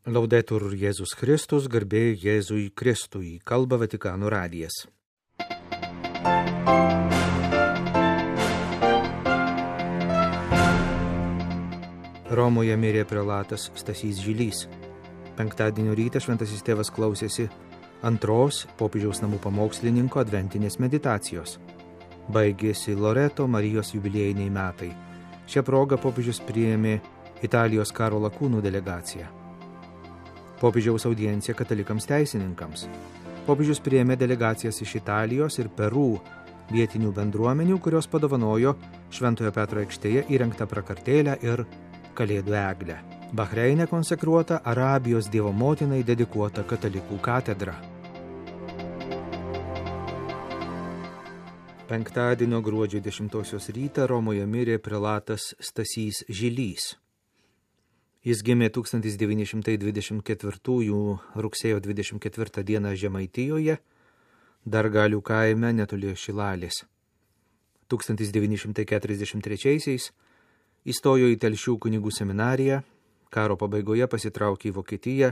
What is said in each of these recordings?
Laudetur Jėzus Kristus, garbė Jėzui Kristui, kalba Vatikano radijas. Romoje mirė prelatas Stasys Žilys. Penktadienio rytą šventasis tėvas klausėsi antros popiežiaus namų pamokslininko adventinės meditacijos. Baigėsi Loreto Marijos jubiliejiniai metai. Šią progą popiežius priėmė Italijos karo lakūnų delegaciją. Popiežiaus audiencija katalikams teisininkams. Popiežius priėmė delegacijas iš Italijos ir Peru vietinių bendruomenių, kurios padovanojo Šventojo Petro aikštėje įrengtą prakartėlę ir Kalėdų eglę. Bahreine konsekruota Arabijos Dievo motinai dedikuota katalikų katedra. Penktadienio gruodžio 10 rytą Romoje mirė prelatas Stasys Žilys. Jis gimė 1924 rugsėjo 24 dieną Žemaitijoje, Dargalių kaime netoli Šilalės. 1943 įstojo į Telšių kunigų seminariją, karo pabaigoje pasitraukė į Vokietiją,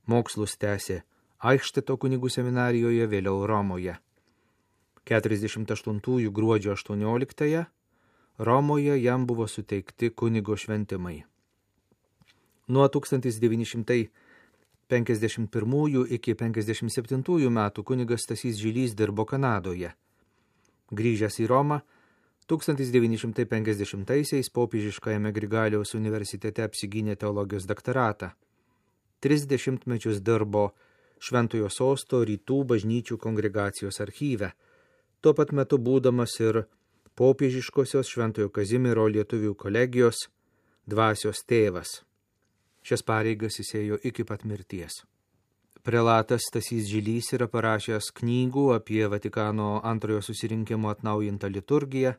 mokslus tęsė Aišteto kunigų seminarijoje, vėliau Romoje. 48 gruodžio 18 Romoje jam buvo suteikti kunigo šventimai. Nuo 1951 iki 1957 metų kunigas Stasys Žilys dirbo Kanadoje. Grįžęs į Romą, 1950-aisiais popiežiškajame Grigaliaus universitete apsigynė teologijos daktaratą. 30 metus dirbo Šventojo Sosto rytų bažnyčių kongregacijos archyve, tuo pat metu būdamas ir popiežiškosios Šventojo Kazimiero lietuvių kolegijos dvasios tėvas. Šias pareigas jis ėjo iki pat mirties. Prelatas Stasys Žilys yra parašęs knygų apie Vatikano antrojo susirinkimo atnaujintą liturgiją,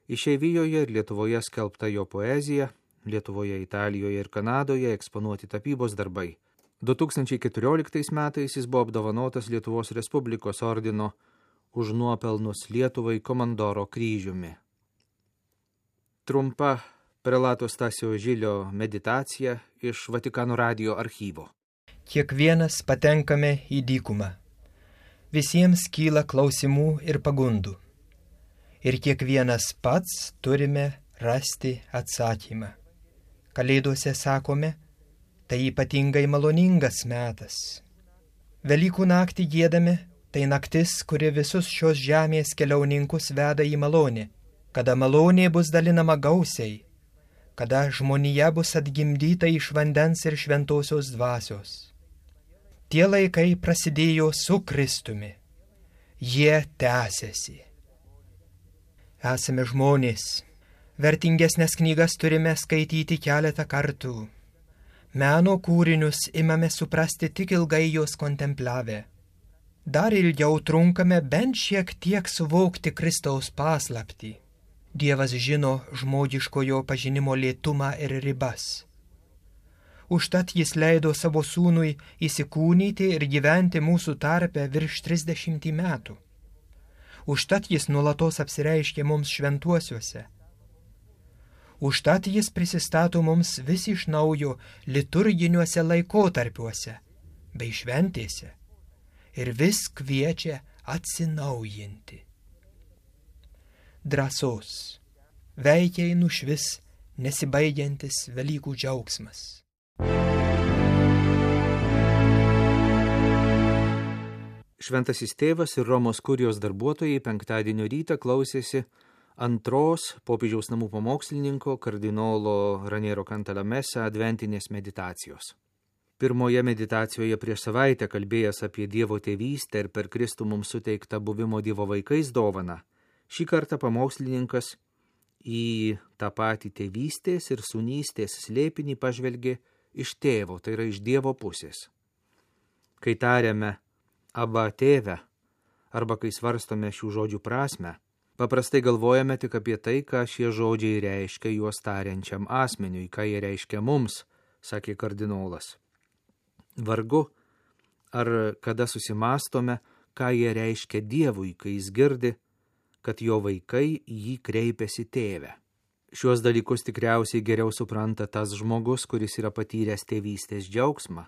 išeivijoje ir Lietuvoje skelbta jo poezija, Lietuvoje, Italijoje ir Kanadoje eksponuoti tapybos darbai. 2014 metais jis buvo apdovanotas Lietuvos Respublikos ordino už nuopelnus Lietuvai komandoro kryžiumi. Trumpa prelato Stasio Žilio meditacija iš Vatikano radijo archyvo. Kiekvienas patenkame į dykumą. Visiems kyla klausimų ir pagundų. Ir kiekvienas pats turime rasti atsakymą. Kalėdose sakome, tai ypatingai maloningas metas. Velykų naktį giedame, tai naktis, kuri visus šios žemės keliauninkus veda į malonę, kada malonė bus dalinama gausiai, kada žmonija bus atgimdyta iš vandens ir šventosios dvasios. Tie laikai prasidėjo su Kristumi. Jie tęsiasi. Esame žmonės. Vertingesnės knygas turime skaityti keletą kartų. Meno kūrinius imame suprasti tik ilgai juos kontempliavę. Dar ilgiau trunkame bent šiek tiek suvokti Kristaus paslaptį. Dievas žino žmogiškojo pažinimo lėtumą ir ribas. Užtat jis leido savo sūnui įsikūnyti ir gyventi mūsų tarpe virš 30 metų. Užtat jis nuolatos apsireiškė mums šventuosiuose. Užtat jis prisistato mums vis iš naujo liturginiuose laikotarpiuose bei šventėse ir vis kviečia atsinaujinti. Drąsos, veikiai nušvis nesibaigiantis Velykų džiaugsmas. Šventasis tėvas ir Romos kurijos darbuotojai penktadienio rytą klausėsi antros popiežiaus namų pamokslininko kardinolo Raniero Cantalamessa adventinės meditacijos. Pirmoje meditacijoje prieš savaitę kalbėjęs apie Dievo tėvystę ir per Kristų mums suteiktą buvimo Dievo vaikais dovaną, šį kartą pamokslininkas į tą patį tėvystės ir sūnystės slėpinį pažvelgė iš tėvo, tai yra iš Dievo pusės. Kai tariame Aba tėve, arba kai svarstome šių žodžių prasmę, paprastai galvojame tik apie tai, ką šie žodžiai reiškia juos tariančiam asmeniui, ką jie reiškia mums, sakė kardinolas. Vargu, ar kada susimastome, ką jie reiškia Dievui, kai jis girdi, kad jo vaikai jį kreipiasi tėve. Šiuos dalykus tikriausiai geriau supranta tas žmogus, kuris yra patyręs tėvystės džiaugsmą,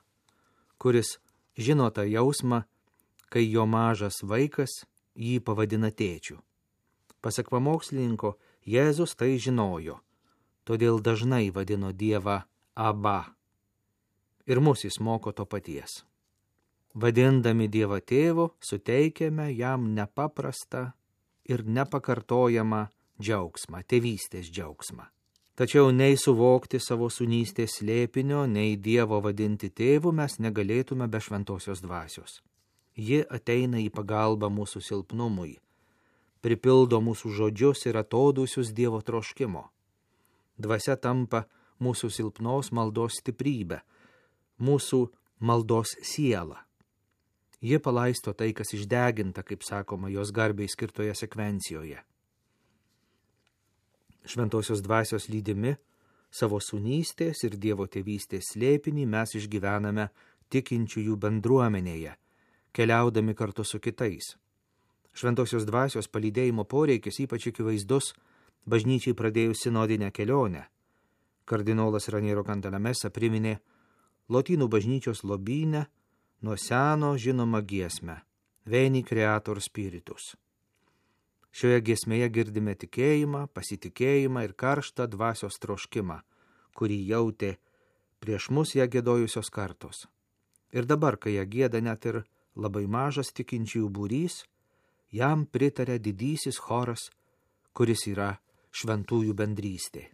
kuris žino tą jausmą, kai jo mažas vaikas jį pavadina tėčiu. Pasak pamokslininko, Jėzus tai žinojo, todėl dažnai vadino Dievą Abba. Ir mus jis moko to paties. Vadindami Dievą tėvu, suteikiame jam nepaprastą ir nepakartojamą džiaugsmą, tėvystės džiaugsmą. Tačiau nei suvokti savo sūnystės slėpinio, nei Dievo vadinti tėvu mes negalėtume be šventosios dvasios. Ji ateina į pagalbą mūsų silpnumui, pripildo mūsų žodžius ir atodūsius Dievo troškimo. Dvasia tampa mūsų silpnos maldos stiprybę, mūsų maldos sielą. Ji palaisto tai, kas išdeginta, kaip sakoma, jos garbiai skirtoje sekvencijoje. Šventosios dvasios lydimi savo sūnystės ir Dievo tėvystės slėpinį mes išgyvename tikinčiųjų bendruomenėje, keliaudami kartu su kitais. Šventosios dvasios palydėjimo poreikis ypač akivaizdus bažnyčiai pradėjus sinodinę kelionę. Kardinolas Raniero Cantalamessa priminė lotynų bažnyčios lobyne nuo seno žinomą giesmę Veni Creator Spiritus. Šioje giesmėje girdime tikėjimą, pasitikėjimą ir karštą dvasios troškimą, kurį jautė prieš mus ją giedojusios kartos. Ir dabar, kai ją gieda net ir labai mažas tikinčiųjų būrys, jam pritarė didysis choras, kuris yra šventųjų bendrystė.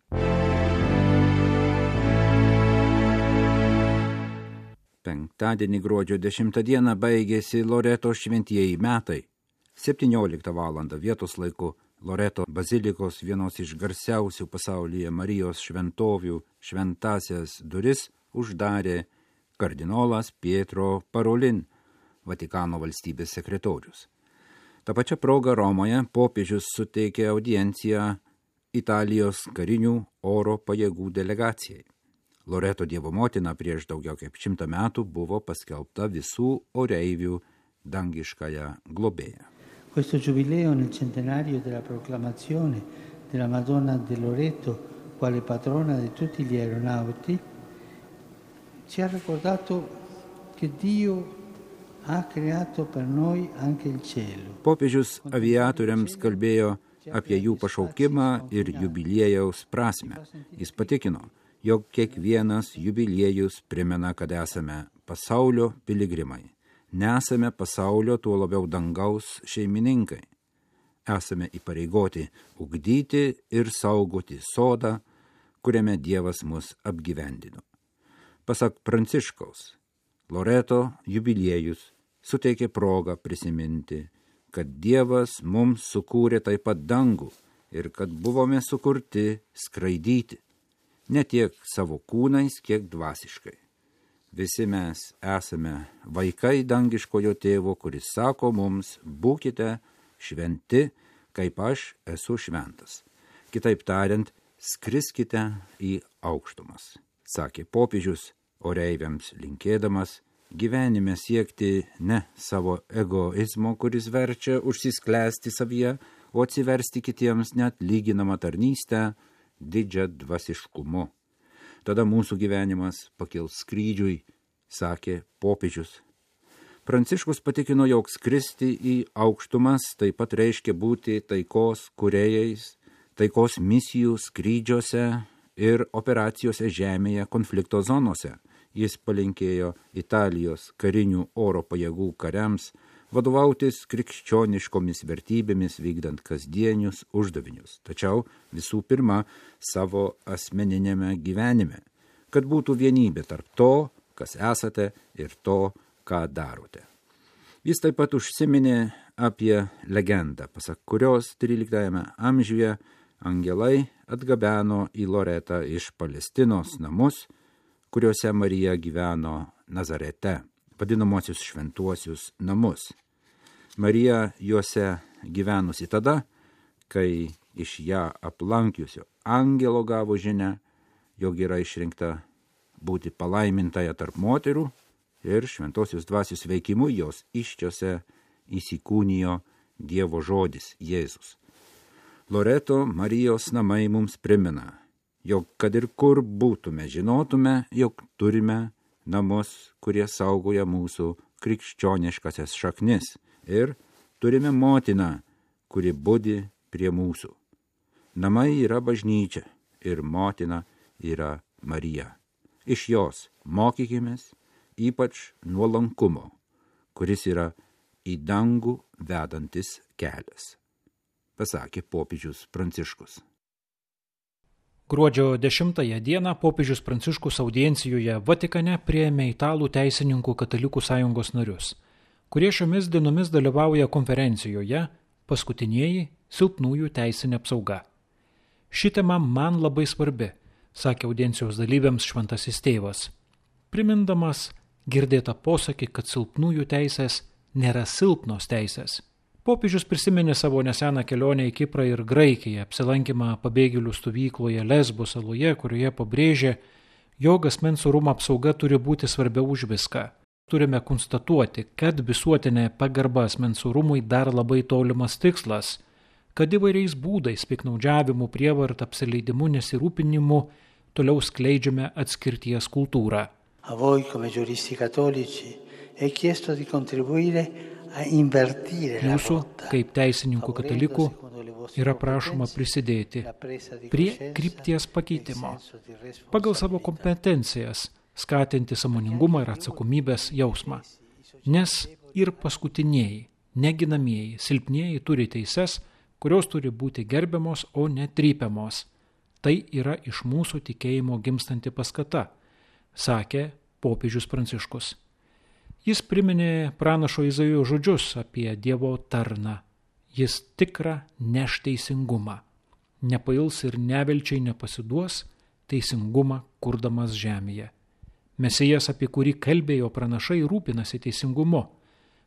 Penktadienį gruodžio 10 dieną baigėsi Loreto šventieji metai. 17 valandą vietos laiku Loreto bazilikos vienos iš garsiausių pasaulyje Marijos šventovių šventasias duris uždarė kardinolas Pietro Parolin, Vatikano valstybės sekretorius. Ta pačia proga Romoje popiežius suteikė audienciją Italijos karinių oro pajėgų delegacijai. Loreto Dievo motina prieš daugiau kaip 100 metų buvo paskelbta visų oreivių dangiškąją globėją. Questo giubileo nel centenario della proclamazione della Madonna del Loreto quale patrona di tutti gli aeronauti ci ha ricordato che Dio ha creato per noi anche il cielo. Popiežius aviatoriams kalbėjo apie jų pašaukimą ir jubiliejaus prasmę. Jis patikino, jog kiekvienas jubiliejus primena, kad esame pasaulio piligrimai. Nesame pasaulio, tuo labiau dangaus šeimininkai. Esame įpareigoti ugdyti ir saugoti sodą, kuriame Dievas mus apgyvendino. Pasak Pranciškaus, Loreto jubiliejus suteikė progą prisiminti, kad Dievas mums sukūrė taip pat dangų ir kad buvome sukurti skraidyti, ne tiek savo kūnais, kiek dvasiškai. Visi mes esame vaikai dangiškojo tėvo, kuris sako mums, būkite šventi, kaip aš esu šventas. Kitaip tariant, skriskite į aukštumas, sakė popiežius, oreiviams linkėdamas gyvenime siekti ne savo egoizmo, kuris verčia užsisklęsti savyje, o atsiversti kitiems net lyginamą tarnystę didžią dvasiškumu. Tada mūsų gyvenimas pakils skrydžiui, sakė popiežius. Pranciškus patikino, jog skristi į aukštumas taip pat reiškia būti taikos kūrėjais, taikos misijų skrydžiuose ir operacijose žemėje konflikto zonose. Jis palinkėjo Italijos karinių oro pajėgų kariams vadovautis krikščioniškomis vertybėmis vykdant kasdienius uždavinius, tačiau visų pirma savo asmeninėme gyvenime, kad būtų vienybė tarp to, kas esate ir to, ką darote. Jis taip pat užsiminė apie legendą, pasak kurios 13 amžiuje angelai atgabeno į Loretą iš Palestinos namus, kuriuose Marija gyveno Nazarete, vadinamosius šventuosius namus. Marija juose gyvenusi tada, kai iš ją aplankiusio angelo gavo žinią, jog yra išrinkta būti palaimintąją tarp moterų ir šventosios dvasios veikimu jos iščiose įsikūnijo Dievo žodis Jėzus. Loreto Marijos namai mums primena, jog kad ir kur būtume, žinotume, jog turime namus, kurie saugoja mūsų krikščioniškasias šaknis ir turime motiną, kuri budi prie mūsų. Namai yra bažnyčia ir motina yra Marija. Iš jos mokykimės ypač nuolankumo, kuris yra į dangų vedantis kelias, pasakė popiežius Pranciškus. Gruodžio 10 dieną popiežius Pranciškus audiencijoje Vatikane priėmė italų teisininkų katalikų sąjungos narius, kurie šiomis dienomis dalyvauja konferencijoje Paskutinieji silpnųjų teisinė apsauga. Ši tema man labai svarbi, sakė audiencijos dalyviams šventasis tėvas, primindamas girdėtą posakį, kad silpnųjų teisės nėra silpnos teisės. Popiežius prisiminė savo neseną kelionę į Kiprą ir Graikiją, apsilankymą pabėgėlių stovykloje Lesbo saloje, kurioje pabrėžė, jog asmens orumo apsauga turi būti svarbiau už viską. Turime konstatuoti, kad visuotinė pagarba asmens orumui dar labai tolimas tikslas, kad įvairiais būdais, piktnaudžiavimu, prievarta, apsileidimu, nesirūpinimu toliau skleidžiame atskirties kultūrą. A voi come giuristi cattolici è chiesto di contribuire a invertire la Mūsų, rotta, kaip teisininkų katalikų, yra prašoma prisidėti prie krypties pakeitimo, pagal savo kompetencijas skatinti sąmoningumą ir atsakomybės jausmą. Nes ir paskutinieji, neginamieji, silpnieji turi teises, kurios turi būti gerbiamos, o ne trypiamos. Tai yra iš mūsų tikėjimo gimstanti paskata, sakė popiežius Pranciškus. Jis priminė pranašo Izaijo žodžius apie Dievo tarną. Jis tikrą neš teisingumą. Nepails ir nevilčiai nepasiduos, teisingumą kurdamas žemėje. Mesijas, apie kurį kalbėjo pranašai, rūpinasi teisingumu.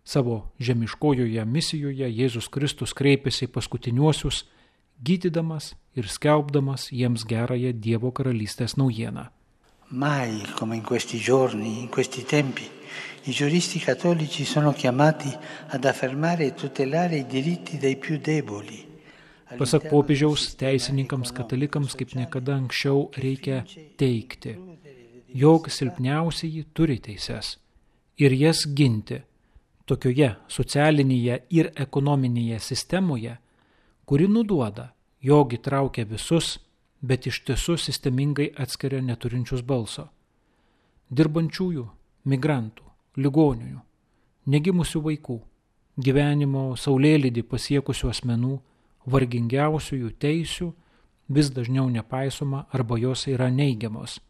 Savo žemiškojoje misijoje Jėzus Kristus kreipėsi į paskutiniuosius, gydydamas ir skelbdamas jiems gerąją Dievo karalystės naujieną. Mai come in questi giorni, in questi tempi, i giuristi cattolici sono chiamati ad affermare e tutelare i diritti dei più deboli. Pasak popiežiaus, teisininkams katalikams kaip niekada anksčiau reikia teikti, jog silpniausiai turi teises ir jas ginti tokioje socialinėje ir ekonominėje sistemoje, kuri nuduoda, jog įtraukia visus, bet iš tiesų sistemingai atskiria neturinčius balso. Dirbančiųjų, migrantų, ligonių, negimusių vaikų, gyvenimo saulėlydį pasiekusių asmenų, vargingiausiųjų teisių vis dažniau nepaisoma arba jos yra neigiamos.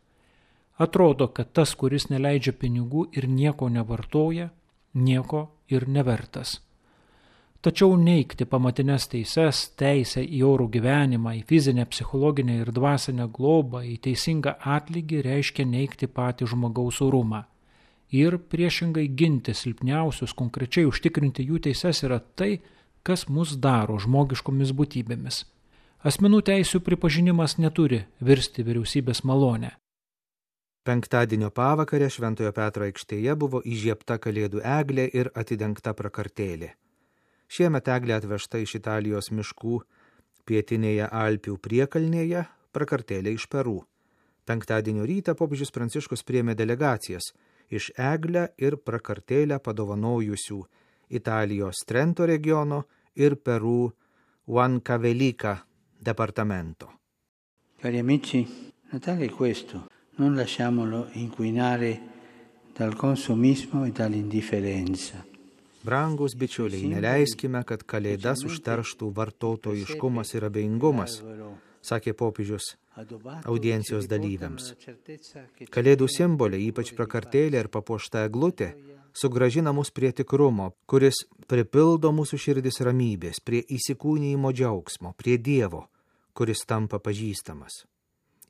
Atrodo, kad tas, kuris neleidžia pinigų ir nieko nevartoja, nieko ir nevertas. Tačiau neigti pamatines teises, teisę į orų gyvenimą, į fizinę, psichologinę ir dvasinę globą, į teisingą atlygį reiškia neigti patį žmogaus orumą. Ir priešingai ginti silpniausius, konkrečiai užtikrinti jų teises yra tai, kas mus daro žmogiškomis būtybėmis. Asmenų teisių pripažinimas neturi virsti vyriausybės malonę. Penktadienio pavakarę Šventojo Petro aikštėje buvo įžiebta kalėdų eglė ir atidengta prakartėlė. Šiemet eglė atvežta iš Italijos miškų pietinėje Alpių priekalnėje, prakartėlė iš Peru. Penktadienio rytą popiežius Pranciškus priėmė delegacijas iš eglę ir prakartėlę padovanojusių Italijos Trento regiono ir Peru Huancavelica departamento. Cari amici, Natale è questo. Non lasciamolo inquinare dal consumismo e dall'indifferenza. Brangus bičiuliai, neleiskime, kad kalėdas užterštų vartotojiškumas ir abejingumas, sakė popiežius audiencijos dalyviams. Kalėdų simboliai, ypač prakartėlė ir papuošta eglutė, sugrąžina mus prie tikrumo, kuris pripildo mūsų širdis ramybės, prie įsikūnijimo džiaugsmo, prie Dievo, kuris tampa pažįstamas.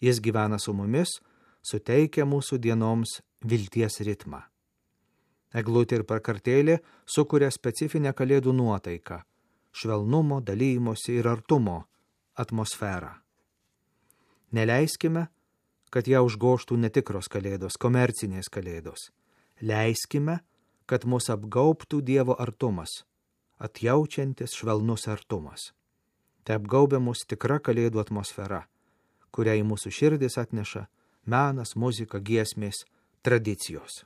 Jis gyvena su mumis, suteikia mūsų dienoms vilties ritmą. Eglutė ir prakartėlė sukuria specifinę kalėdų nuotaiką, švelnumo, dalymosi ir artumo atmosferą. Neleiskime, kad ją užgoštų netikros kalėdos, komercinės kalėdos. Leiskime, kad mus apgaubtų Dievo artumas, atjaučiantis švelnus artumas. te apgaubia mus tikra kalėdų atmosfera, kurią į mūsų širdis atneša menas, muzika, giesmės, tradicijos.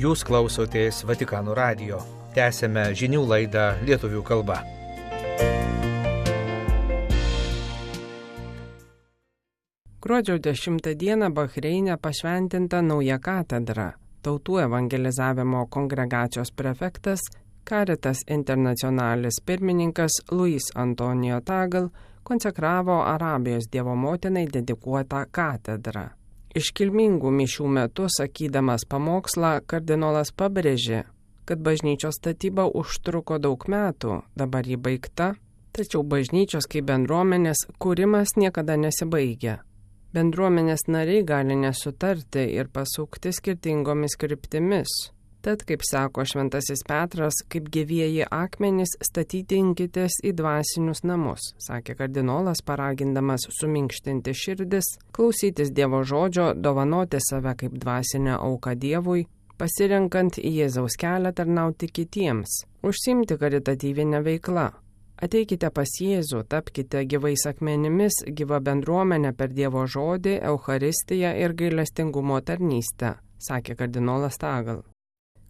Jūs klausotės Vatikano radijo. Tęsėme žinių laidą lietuvių kalba. Gruodžio 10 dieną Bahreine pašventinta nauja katedra. Tautų evangelizavimo kongregacijos prefektas, Caritas Internationalis pirmininkas Luis Antonio Tagal konsekravo Arabijos Dievo motinai dedikuotą katedrą. Iškilmingų mišių metu, sakydamas pamokslą, kardinolas pabrėžė, kad bažnyčios statyba užtruko daug metų, dabar ji baigta, tačiau bažnyčios kaip bendruomenės kūrimas niekada nesibaigia. Bendruomenės nariai gali nesutarti ir pasukti skirtingomis kryptimis. Tad, kaip sako Šventasis Petras, kaip gyvieji akmenys statytinkitės į dvasinius namus, sakė kardinolas, paragindamas suminkštinti širdis, klausytis Dievo žodžio, dovanoti save kaip dvasinę auką Dievui, pasirenkant Jėzaus kelią tarnauti kitiems, užsiimti karitatyvinę veiklą. Ateikite pas Jėzų, tapkite gyvais akmenimis, gyva bendruomenė per Dievo žodį, Eucharistiją ir gailestingumo tarnystę, sakė kardinolas Tagal.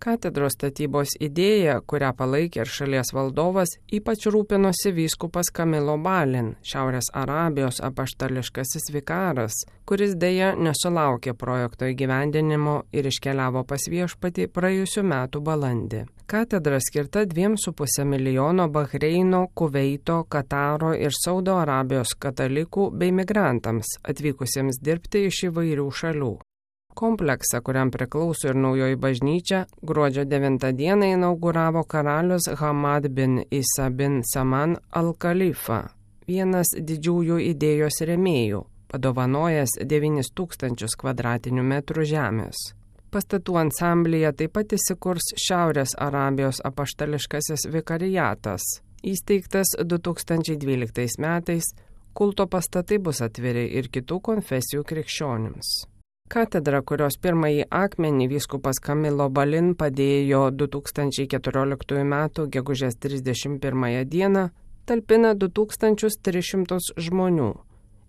Katedros statybos idėja, kurią palaikė ir šalies valdovas, ypač rūpinosi vyskupas Kamilo Balin, Šiaurės Arabijos apaštališkasis vikaras, kuris dėja nesulaukė projekto įgyvendinimo ir iškeliavo pas viešpatį praėjusių metų balandį. Katedra skirta 2,5 milijono Bahreino, Kuveito, Kataro ir Saudo Arabijos katalikų bei migrantams atvykusiems dirbti iš įvairių šalių. Kompleksą, kuriam priklauso ir naujoji bažnyčia, gruodžio 9 dieną inauguravo karalius Hamad bin Isa bin Saman al-Khalifa, vienas didžiųjų idėjos rėmėjų, padovanojęs 9000 kvadratinių metrų žemės. Pastatų ansamblyje taip pat įsikurs Šiaurės Arabijos apaštališkasis vikariatas. Įsteigtas 2012 metais, kulto pastatai bus atviri ir kitų konfesijų krikščionims. Katedra, kurios pirmąjį akmenį vyskupas Kamilo Balin padėjo 2014 m. gegužės 31 dieną, talpina 2300 žmonių.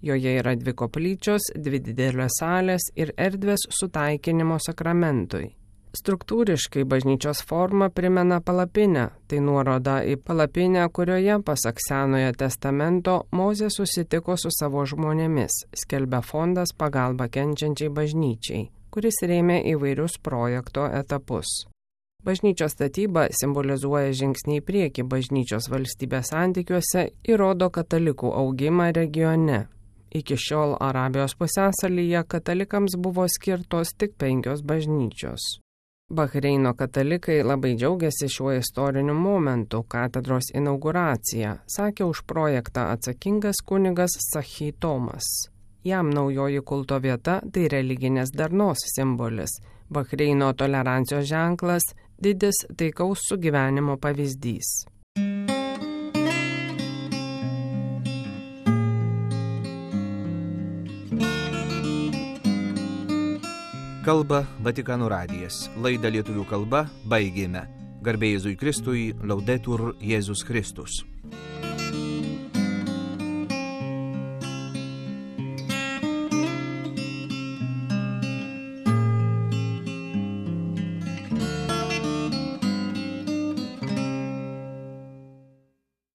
Joje yra 2 koplyčios, 2 didelės salės ir erdvės sutaikinimo sakramentui. Struktūriškai bažnyčios forma primena palapinę, tai nuoroda į palapinę, kurioje, pasak Senojo testamento, Mozė susitiko su savo žmonėmis, skelbia fondas pagalba kenčiančiai bažnyčiai, kuris rėmė įvairius projekto etapus. Bažnyčios statyba simbolizuoja žingsnį į priekį bažnyčios valstybės santykiuose ir rodo katalikų augimą regione. Iki šiol Arabijos pusiasalyje katalikams buvo skirtos tik 5 bažnyčios. Bahreino katalikai labai džiaugiasi šiuo istoriniu momentu, katedros inauguracija, sakė už projektą atsakingas kunigas Sahi Tomas. Jam naujoji kulto vieta tai religinės darnos simbolis, Bahreino tolerancijos ženklas, didis taikaus sugyvenimo pavyzdys. Kalba Vatikano radijas. Laidą lietuvių kalba baigėme. Garbė Jėzui Kristui, Laudetur Jėzus Kristus.